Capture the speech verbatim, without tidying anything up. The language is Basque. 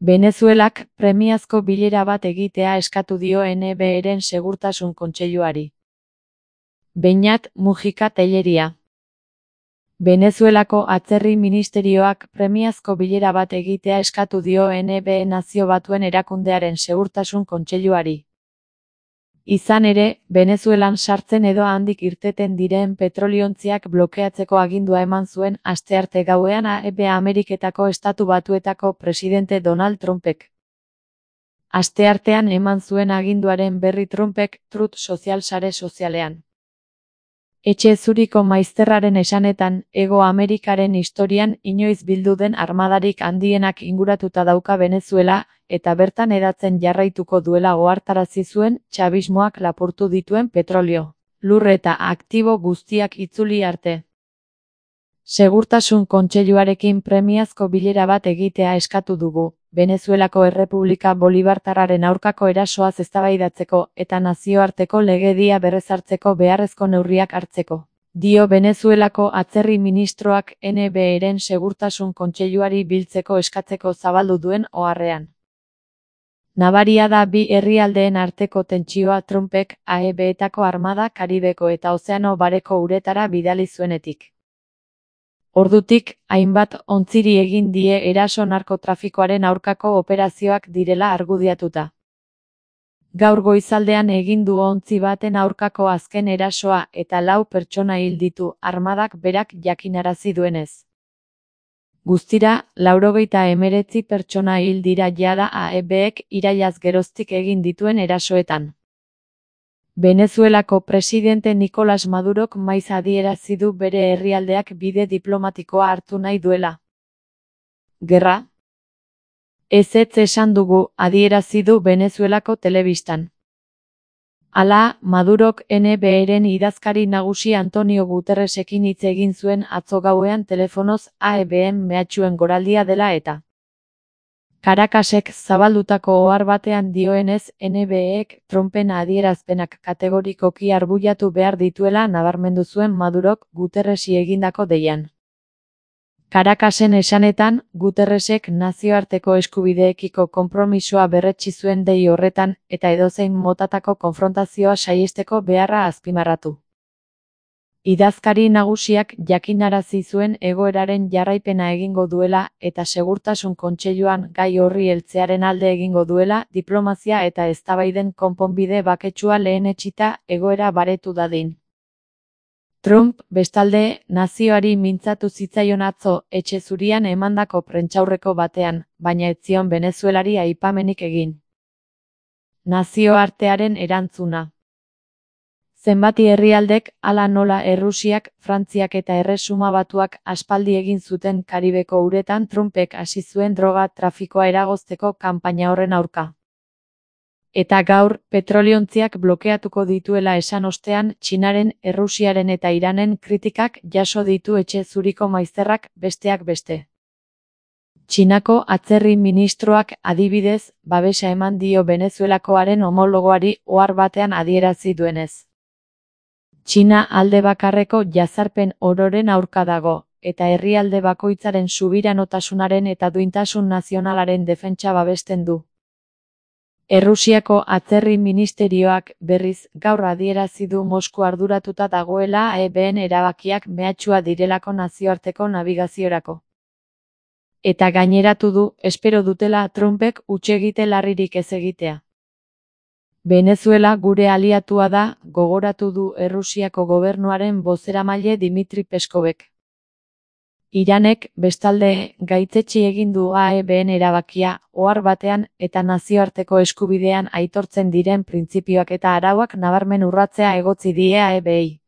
Venezuelak premiazko bilera bat egitea eskatu dio N B Eren Segurtasun Kontseiluari. Beñat Mujika Telleria. Venezuelako Atzerri Ministerioak premiazko bilera bat egitea eskatu dio N B Nazio Batuen Erakundearen Segurtasun Kontseiluari. Izan ere, Venezuelan sartzen edo handik irteten diren petroliontziak blokeatzeko agindua eman zuen astearte gauean A E B Ameriketako Estatu Batuetako presidente Donald Trumpek. Asteartean eman zuen aginduaren berri Trumpek Truth Social sare sozialean. Etxe zuriko maizterraren esanetan, Hego Amerikaren historian inoiz bildu den armadarik handienak inguratuta dauka Venezuela, eta bertan hedatzen jarraituko duela ohartarazi zuen txabismoak lapurtu dituen petrolio, lur eta aktibo guztiak itzuli arte. Segurtasun Kontseiluarekin premiazko bilera bat egitea eskatu dugu, Venezuelako Errepublika Bolibartarraren aurkako erasoaz eztabaidatzeko eta nazioarteko legedia berrezartzeko beharrezko neurriak hartzeko, dio Venezuelako Atzerri Ministroak N B Eren Segurtasun Kontseiluari biltzeko eskatzeko zabaldu duen oharrean. Nabaria da bi herrialdeen arteko tentsioa Trumpek A E Betako armada Karibeko eta Ozeano Bareko uretara bidali zuenetik. Ordutik, hainbat ontziri egin die eraso narkotrafikoaren aurkako operazioak direla argudiatuta. Gaur goizaldean egin du ontzi baten aurkako azken erasoa eta lau pertsona hil ditu armadak berak jakinarazi duenez. Guztira, laurogeita hemeretzi pertsona hil dira jada A E Bek irailaz geroztik egin dituen erasoetan. Venezuelako presidente Nicolás Madurok maiz adierazi du bere herrialdeak bide diplomatikoa hartu nahi duela. Gerra? Ezetz esan dugu, adierazi du Venezuelako telebistan. Hala, Madurok N B Eren idazkari nagusi Antonio Guterresekin hitz egin zuen atzo gauean telefonoz A E Ben mehatxuen goraldia dela eta. Caracasek zabaldutako ohar batean dioenez N B Ek Trumpen adierazpenak kategorikoki arbuiatu behar dituela nabarmendu zuen Madurok Guterresi egindako deian. Caracasen esanetan, Guterresek nazioarteko eskubideekiko konpromisoa berretsi zuen dei horretan eta edozein motatako konfrontazioa saihesteko beharra azpimarratu. Idazkari nagusiak jakinarazi zuen egoeraren jarraipena egingo duela eta Segurtasun Kontseiluan gai horri heltzearen alde egingo duela diplomazia eta eztabaiden konponbide baketsua lehenetsita egoera baretu dadin. Trump, bestalde, nazioari mintzatu zitzaion atzo Etxe Zurian emandako prentsaurreko batean, baina ez zion Venezuelari aipamenik egin. Nazioartearen erantzuna. Zenbati herrialdek, hala nola Errusiak, Frantziak eta Erresuma Batuak aspaldi egin zuten Karibeko uretan Trumpek hasi zuen droga trafikoa eragozteko kanpaina horren aurka. Eta gaur, petroliontziak blokeatuko dituela esan ostean, Txinaren, Errusiaren eta Iranen kritikak jaso ditu Etxe Zuriko maizterrak besteak beste. Txinako Atzerri Ministroak adibidez, babesa eman dio Venezuelakoaren homologoari ohar batean adierazi duenez. Txina alde bakarreko jazarpen ororen aurka dago, eta herrialde bakoitzaren subiranotasunaren eta duintasun nazionalaren defentsa babesten du. Errusiako Atzerri Ministerioak berriz gaur adierazi du Mosku arduratuta dagoela A E Ben erabakiak mehatxua direlako nazioarteko nabigaziorako. Eta gaineratu du, espero dutela Trumpek hutsegite larririk ez egitea. Venezuela gure aliatua da, gogoratu du Errusiako gobernuaren bozeramaile Dimitri Peskovek. Iranek, bestalde, gaitzetsi egin du A E Ben erabakia, ohar batean eta nazioarteko eskubidean aitortzen diren printzipioak eta arauak nabarmen urratzea egotzi die A E Bei.